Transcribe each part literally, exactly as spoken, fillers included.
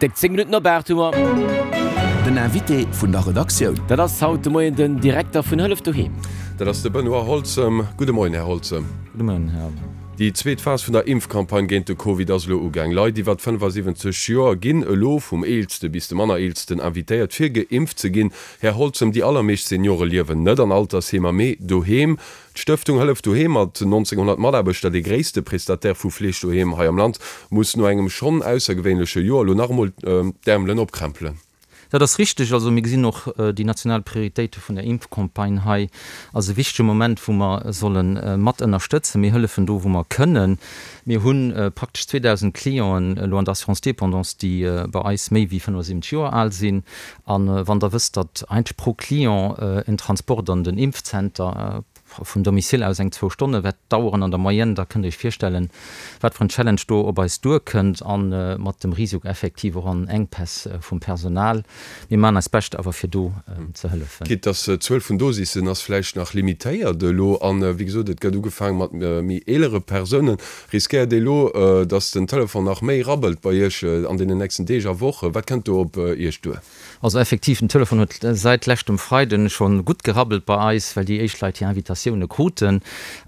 Déck zéng Minutten op aacht hu mer. Den Invité vun der Redaktioun. Dat ass haut de Moien den Direkter vun Hëllef Doheem. Dat ass de Benoît Holzem. Gudde Moien, Här Holzem. Gudde Moien, Här. Déi zweet Phas vun der Impfcampagne géint de Covid ass elo ugaang. Leit iwwer fënnefasiwwenzeg Joer ginn elo vum eelste bis de manner eelsten invitéiert fir geimpft ze ginn. Här Holzem, déi allermeescht Seniore liewen net an Altersheemer, mee doheem. D'Stëftung Hëllef Doheem mat nonzénghonnert Mataarbechter, dee gréisste Prestataire vu Fleeg doheem hei am Land, muss no engem schonn aussergewéinleche Joer elo nach emol d'Äermelen opkrämpelen. Dat ass richteg. Also mir gesinn och déi national Prioritéite vun der Impfcampagne hei als e wichtege Moment, wou mer solle mat ënnerstëtzen. Mir hëllefen do, wou mer kënnen. Mir hu praktesch zweedausend Clienten elo an der Assurance dépendance, déi bei eis méi wéi fënnefasiwwenzeg Joer al sinn. A wann Der wësst, datt eigentlech pro Client en Transport an den Impfzenter, vum Domicile aus eng zwou Stonne wäert daueren an der Moyenne, da kënnt Der Iech virstellen, wat fir en Challenge do op eis duerkënnt a mat dem Risiko effektiv och an Enkpäss vum Personal. Mir maachen eist Bescht awer fir do ze hëllefen. Quitte dass d'Zuel vun Dosissen ass vläicht nach limitéiert elo an, wéi gesot, et gëtt ugefaange mat méi eelere Persounen. Riskéiert Dir elo, dass den Telefon nach méi rabbelt bei Iech an deenen nächsten Deeg a Wochen? Wat kënnt do op Iech duer? Also effektiv, den Telefon huet säit leschtem Freiden scho gutt gerabbelt bei eis, well déi éischt Leit hir Invitatioune kruten.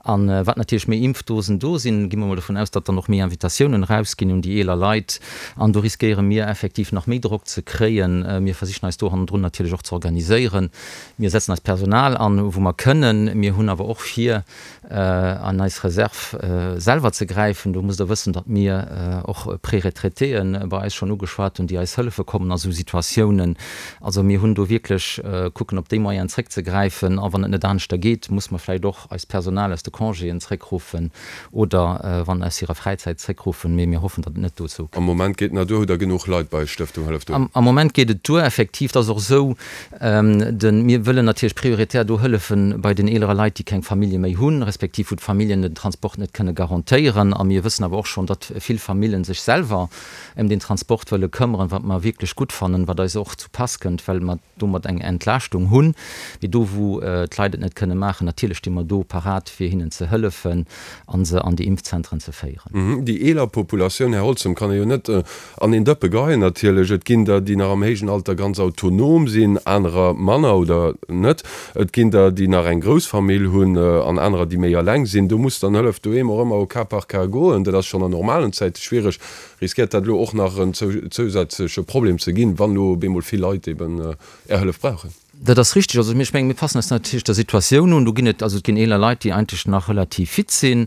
A wat natierlech méi Impfdosen do sinn, gi mer mol dovun aus, datt dann och méi Invitatiounen erausginn un déi eeler Leit. An do riskéiere mir effektiv nach méi Drock ze kréien. Mir versichen eis do hannendrun natierlech och ze organiséieren. Mir setzen eist Personal an, wou mer kënnen. Mir hunn awer och vir, an eis Reserv selwer ze gräifen. Do musst Der wëssen, datt mir och Préretraitéë bei eis schonn ugeschwat hunn, déi eis hëllefe kommen a sou Situatiounen. Also mir hunn do wierklech kucken, op déi Moyenen zréckzegräifen. A wann et net aneschter geet, muss mer vläicht och eist Personal aus de Congéen zréckruffen oder wann aus hirer Fräizäit zréckruffen. Mee mir hoffen, datt et net dozou kënnt. Am Moment geet nach duer. Hutt Der genuch Leit bei Stëftung Hëllef Doheem? Am Moment geet et duer, effektiv. Et ass och esou, mir wëllen natierlech prioritär do hëllefen bei den eelere Leit, déi keng Famillje méi hunn, respektiv wou d'Familljen den Transport net kënne garantéieren. A mir wëssen awer och schonn, datt vill Famillen sech selwer ëm den Transport wëlle këmmeren, wat mer wierklech gutt fannen, wat eis och zu Pass kënnt, well mer domat eng Entlaaschtung hunn. Mee do, wou d'Leit et net kënne maachen, natierlech sti mer do parat, fir hinnen ze hëllefen a se an déi Impfzentren ze féieren. Déi eeler Populatioun, Här Holzem, kann ee jo net an een Dëppe geheien natierlech. Et ginn der, déi nach am héijen Alter ganz autonom sinn, anerer manner oder net. Et ginn der, déi nach eng grouss Famill hunn an anerer, déi méi eleng sinn. Do muss dann Hëllef Doheem och ëmmer au cas par cas goen. Dat ass schonn an normalen Zäite schwiereg. Riskéiert dat elo och nach en zousätzleche Problem ze ginn, wann elo op eemol vill Leit eben Är Hëllef brauchen? Dat ass richteg. Also ech mengen, mir passen eis natierlech der Situatioun un. Do ginn et, also et ginn eeler Leit, déi eigentlech nach relativ fit sinn.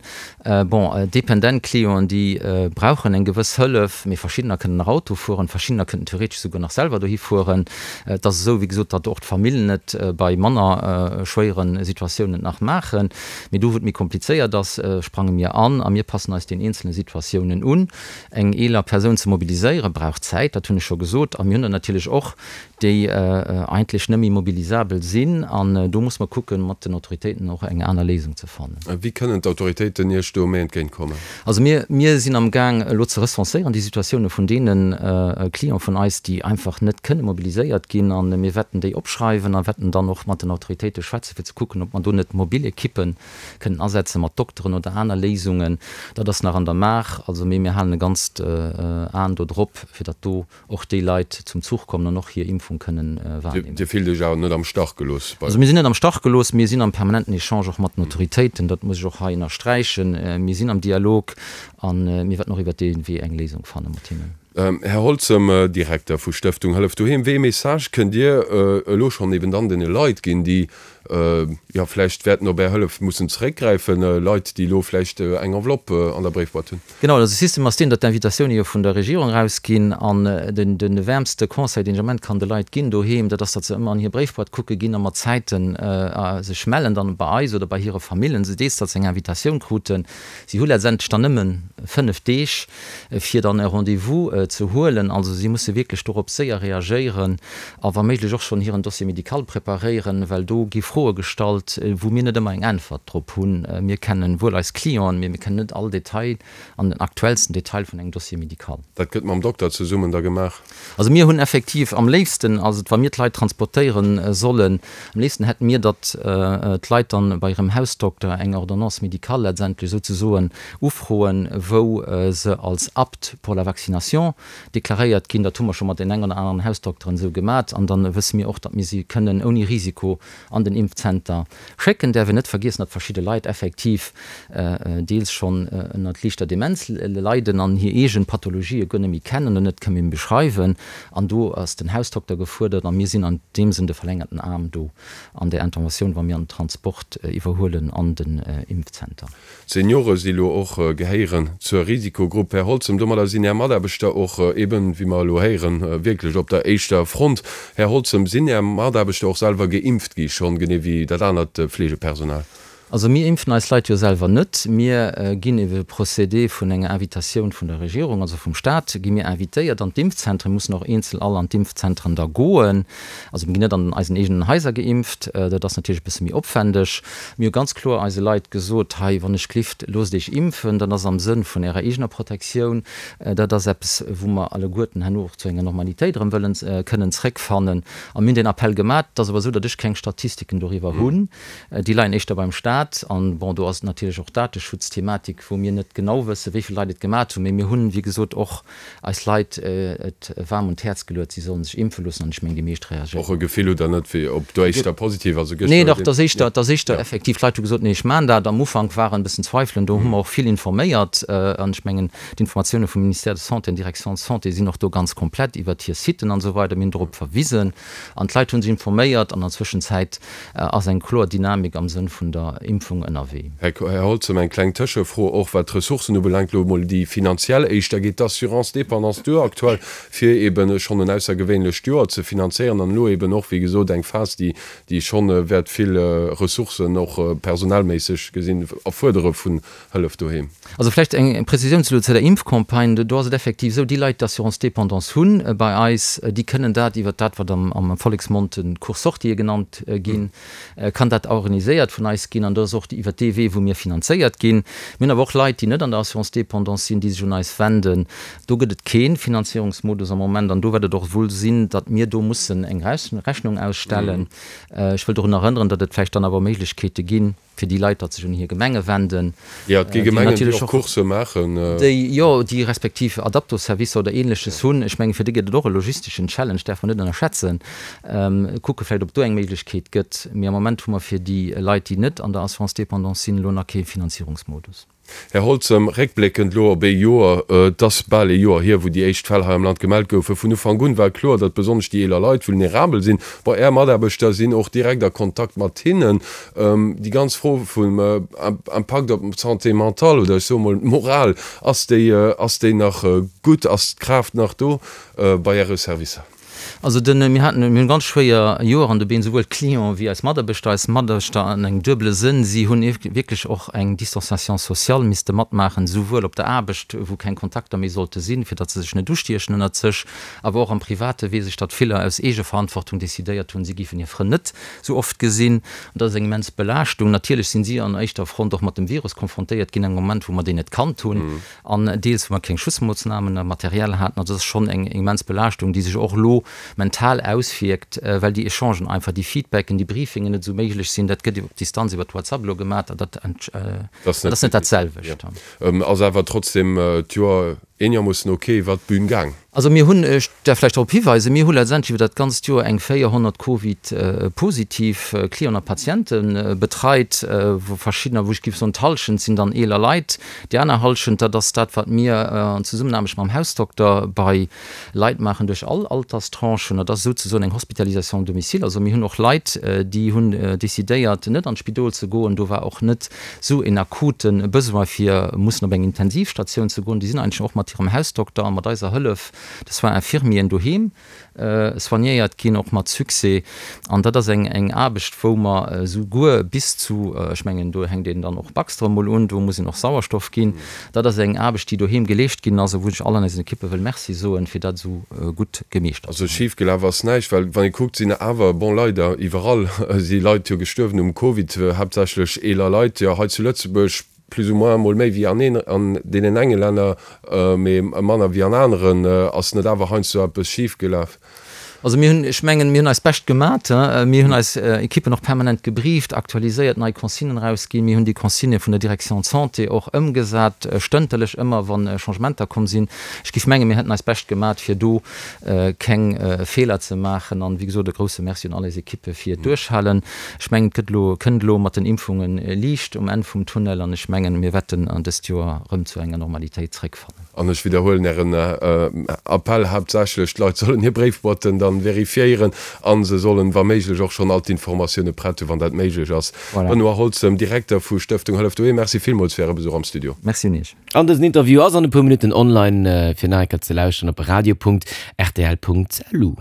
Bon, dependent Clienten, déi brauchen eng gewëss Hëllef, mee verschiddener kënnen nach Auto fueren, verschiddener kënnten theoretesch souguer nach selwer dohi fueren. Et ass esou, wéi gesot, datt och d'Famillen et bei manner schwéiere Situatiounen nach maachen. Mee do, wou et méi komplizéiert ass, sprange mir an a mir passen eis den eenzele Situatiounen un. Eng eeler Persoun ze mobiliséieren, brauch Zäit, dat hunn ech scho gesot. A mir hunn der natierlech och, déi eigentlech net méi mobilisabel sinn. An do muss mer kucken, mat den Autoritéiten och eng aner Léisung ze fannen. Wéi kënnen d'Autoritéiten Iech do méi entgéint kommen? Also mir, mir sinn am Gaang elo ze recenséieren déi Situatioune vun deene Cliente vun eis, déi einfach net kënne mobiliséiert ginn. A mir wäerten déi opschreiwen a wäerten dann och mat den Autoritéite schwätzen, fir ze kucken, ob mer do net mobil Ekippe kënnen asetzen, mat Dokteren oder aner Léisungen. Dat ass nach an der Maach. Also, mee mir halen e ganzt Aen do drop, fir datt do och déi Leit zum Zuch kommen an och hir Impfung kënnen wahrnehmen. Dir fillt Iech awer net am Stach gelooss bei. Also mir sinn net am Stach gelooss, mir sinn am permanenten Echange och mat den Autoritéiten, dat muss ech och hei ënnersträichen. Mir sinn am Dialog a mir wäerten och iwwert dee Wee eng Léisung fanne mat hinnen. Här Holzem, Direkter vu Stëftung Hëllef Doheem, wéi ee Message kënnt Dir elo schonn eben dann deene Leit ginn, déi jo vläicht wäerten op Är Hëllef mussen zeréckgräifen, Leit, déi elo vläicht eng Enveloppe an der Bréifboîte hunn? Genau, also de System ass deen, datt d'Invitatioune jo vun der Regierung erausginn an den de wäermste Conseil, deen ech am Moment kann de Leit ginn doheem, dat ass, datt se ëmmer an hir Bréifboîte kucke ginn a mat Zäiten sech mellen dann bei eis oder bei hire Famillen, soudees datt se eng Invitatioun kruten. Si hu letztendlech dann nëmme fënnef Deeg, fir dann e Rendez-vous ze huelen. Also si musse wierklech dorop séier reagéieren a wa méiglech och schonn hiren Dossier médical preparéieren, well do gi Froe gestallt, wou mir net ëmmer eng Äntwert drop hunn. Mir kennen wuel eis Clienten, mee mir kennen net all Detail an den aktuellsten Detail vun engem Dossier médical. Dat gëtt mam Dokter zesummen da gemaach? Also mir hunn effektiv am léifsten, also wa mir d'Leit transportéiere sollen, am léifsten hätte mir, datt d'Leit dann bei hirem Hausdokter eng Ordonnance médicale letztendlech souzesoen ufroen, wou se als apte pour la vaccination deklaréiert ginn. Dat hu mer scho mat den engen oder aneren Hausdokteren esou gemat. An dann wësse mir och, datt mir si kënnen ouni Risiko an den Impfzenter schécken. Däerf een net vergiessen, datt verschidde Leit effektiv deels schonn ënnert liichter Demenz leiden an hir eegen Pathologië guer net méi kennen oder net kënnen beschreiwen. An do ass den Hausdokter gefuerdert a mir sinn an deem Sënn de verlängerten Aarm do an där Interventioun, wa mir an Transport iwwerhuelen an den Impfzenter. D'Seniore si lo och, gehéieren zur Risikogrupp. Här Holzem, domadder sinn Är Mataarbechter och eben, wéi mer elo héieren, wierklech op der éischter Front. Här Holzem, sinn Är Mataarbechter och selwer geimpft gi schonn, genee wéi dat anert Fleegepersonal? Also mir impfen eis Leit jo selwer net. Mir ginn iwwer e Procédé vun enger Invitatioun vun der Regierung, also vum Staat, gi mir invitéiert an d'Impfzentren, mussen och eenzel all an d'Impfzentren da goen. Also mir ginn net an eisen eegenen Haiser geimpft, dat ass natierlech e bësse méi opwändeg. Mir hu ganz kloer eise Leit gesot, hei wann ech glift, loosst Iech impfen, dat ass am Sënn vun Ärer eegener Protektioun. Dat ass eppes, wou mer alleguerten herno och zu enger Normalitéit erëm wëllen kënnen zréckfannen. A mir hunn deen Appell gemat. Et ass awer esou, datt ech keng Statistiken doriwwer hunn. Déi leien éischter beim Staat. An, bon, do ass natierlech och d'Dateschutzthematik, wou mir net genau wëssen, wéi vill Leit et gemat hunn. Mee mir hunn, wéi gesot, och eis Leit et waarm un d'Häerz geluet, si sollen sech impfe loossen. An ech mengen, déi meescht reagéieren. Och e Gefill hutt Der net, wéi ob do éischter positiv, also gëschter Nee, dach, et ass éischter, et ass éischter effektiv, d'Leit hu gesot, Nee, ech maachen dat. Am Ufank waren e bëssen Zweifelen, do hu mer och vill informéiert. An ech mengen, d'Informatioune vum Ministère de Santé an Direction de Santé sinn och do ganz komplett iwwert hir Siten an esou weider. Mir hunn dorop verwisen an d'Leit hu sech informéiert. An der Zwëschenzäit ass eng kloer Dynamik am Sënn vun der Impfung ënnerwee. Här Holzem, eng kleng Tëschefro och wat d'Ressourcen ubelaangt, elo emol déi finanziell éischter. Geet d'Assurance dépendance duer aktuell, fir eeben schonn en aussergewéinlecht Joer ze finanzéieren an elo eeben och, wéi gesot, eng Phas, déi déi schonn wäert vill Ressourcen och personellméisseg gesinn erfuerdere vun Hëllef Doheem? Also vläicht eng Prezisioun zu der Impfcampagne. Do ass et effektiv esou, déi Leit, déi Assurance dépendance hunn bei eis, déi kënnen dat iwwert dat, wat am Volleksmond de Cours-sortie genannt ginn, kann dat organiséiert vun eis ginn. An dat ass och iwwert dee Wee, wou mir finanzéiert ginn. Mir hunn awer och Leit, déi net an der Assurance dépendance sinn, déi sech un eis wenden. Do gëtt et kee Finanzierungsmodus am Moment. An do wäert et och wuel sinn, datt mir do mussen eng Rechnung ausstellen. Ech wëll dorun erënneren, datt et vläicht dann awer Méiglechkeete ginn, fir déi Leit, datt sech un hir Gemenge wenden, Jo, et gi Gemengen, déi och Course maachen. Déi, jo, déi respektiv Adapto-Servicer oder Ähnleches hunn. Ech mengen, fir déi gëtt et och e logisteschen Challenge, däerf mer net ënnerschätzen. Kucke vläicht, ob do eng Méiglechkeet gëtt. Mee am Moment hu mer fir déi Leit, déi net an der Assurance dépendance sinn, elo nach kee Finanzierungsmodus. Här Holzem, réckbléckend elo op ee Joer, et ass bal ee Joer hier, wou déi éischt Fäll hei am Land gemellt goufen. Vun Ufank un war kloer, datt besonnesch déi eeler Leit vulnerabel sinn. Bon, Är Mataarbechter sinn och direkt a Kontakt mat hinnen. Déi ganz Fro vum Impakt op d'Santé mentale oder ech soe mol d'Moral, ass déi, ass déi nach gutt? Ass d'Kraaft nach do bei Äre Servicer? Also den, mir haten, mir hunn ganz schwéier Joer an de Been, souwuel d'Clienten wéi eis Mataarbechter. Eis Mataarbechter an engem duebele Sënn, si hunn wierklech och eng Distanciation sociale misste matmaachen, souwuel op der Aarbecht, wou keng Kontakter méi sollte sinn, fir datt se sech net ustiechen ënnert sech, awer och am private Wee sech, datt viller aus Eegeverantwortung decidéiert hunn, si géifen hir Frënn net sou oft gesinn. An dat ass eng immens Belaaschtung. Natierlech sinn si an éischter Front och mat dem Virus konfrontéiert ginn, engem Moment, wou mer deen net kannt hunn an deels, wou mer keng Schutzmoossnamen a Material haten. Also dat ass schonn eng immens Belaaschtung, déi sech och elo mental auswierkt, well déi Echangen einfach, déi Feedbacken, déi Briefingen net esou méiglech sinn. Dat gëtt op Distanz iwwer WhatsApp elo gemaach an dat ass net dat selwecht. Ass awer trotzdem d'Joer eenermoossen ok iwwert d'Bün gaang. Also mir hunn, ech däerf vläicht drop hiweisen, mir hu letztendlech iwwer dat ganzt Joer eng véierhonnert Covid-positiv Clienten a Patiente betreit, wou verschiddener, wou ech géif soen, d'Hallschent sinn dann eeler Leit, déi aner Hallschent, dat ass dat, wat mir an Zesummenaarbecht mam Hausdokter bei Leit maachen duerch all Alterstranchen. Dat ass souzesoen eng Hospitalisation à domicile. Also mir hunn och Leit, déi hunn decidéiert, net an d'Spidol ze goen. Do war och net esou en akute Besoin, fir mussen op eng Intensivstatioun ze goen. Déi sinn eigentlech och mat hirem Hausdokter a mat eiser Hëllef de Soins infirmieren doheem soignéiert ginn, och mat Succès. An dat ass eng eng Aarbecht, wou mer esouguer bis zu, ech mengen, do hänkt een dann och Baxter emol un, do muss een och Sauerstoff ginn. Dat ass eng Aarbecht, déi doheem geleescht ginn ass a wou ech all an eisen Ekippe wëll Merci soen, fir dat esou gutt gemeeschtert ze hunn. Also schif gelaf ass näischt, well wann ee kuckt, sinn awer, bon leider iwwerall si Leit jo gestuerwen um Covid, haaptsächlech eeler Leit, jo hei zu Lëtzebuerg plus ou moins emol méi wéi an een an deenen enge Länner, mee manner wéi an aneren. Ass net awer heiansdo eppes schif gelaf? Also mir hunn, ech mengen, mir hunn eist Bescht gemat. Mir hunn eis Ekippen och permanent gebrieft, aktualiséiert, nei Consignen erausginn. Mir hunn déi Consignë vun der Direction de santé och ëmgesat, stënterlech ëmmer, wa Changementer komm sinn. Ech géif mengen, mir hätten eist Bescht gemat, fir do keng Feeler ze maachen. An, wéi gesot, e grouse Merci un all eis Ekippe fir d'Duerchhalen. Ech mengen, et gëtt elo, kënnt elo mat den Impfunge Liicht um Enn vum Tunnel an ech mengen, mir wäerten an dëst Joer erëm zu enger Normalitéit zréckfannen. An ech widderhuelen Ären Appell haaptsächlech, d'Leit sollen hir Bréifboîten dann verifiéieren a se sollen, wa méiglech, och schonn all d'Informatioune prett hunn, wann dat méiglech ass. Voilà. Benoît Holzem, Direkter vu Stëftung Hëllef Doheem, Merci villmools fir Äre Besuch am Studio. Merci un Iech. An dësen Interview ass an e puer Minutten online fir nach eng Kéier ze lauschteren op radio punkt rtl punkt lu.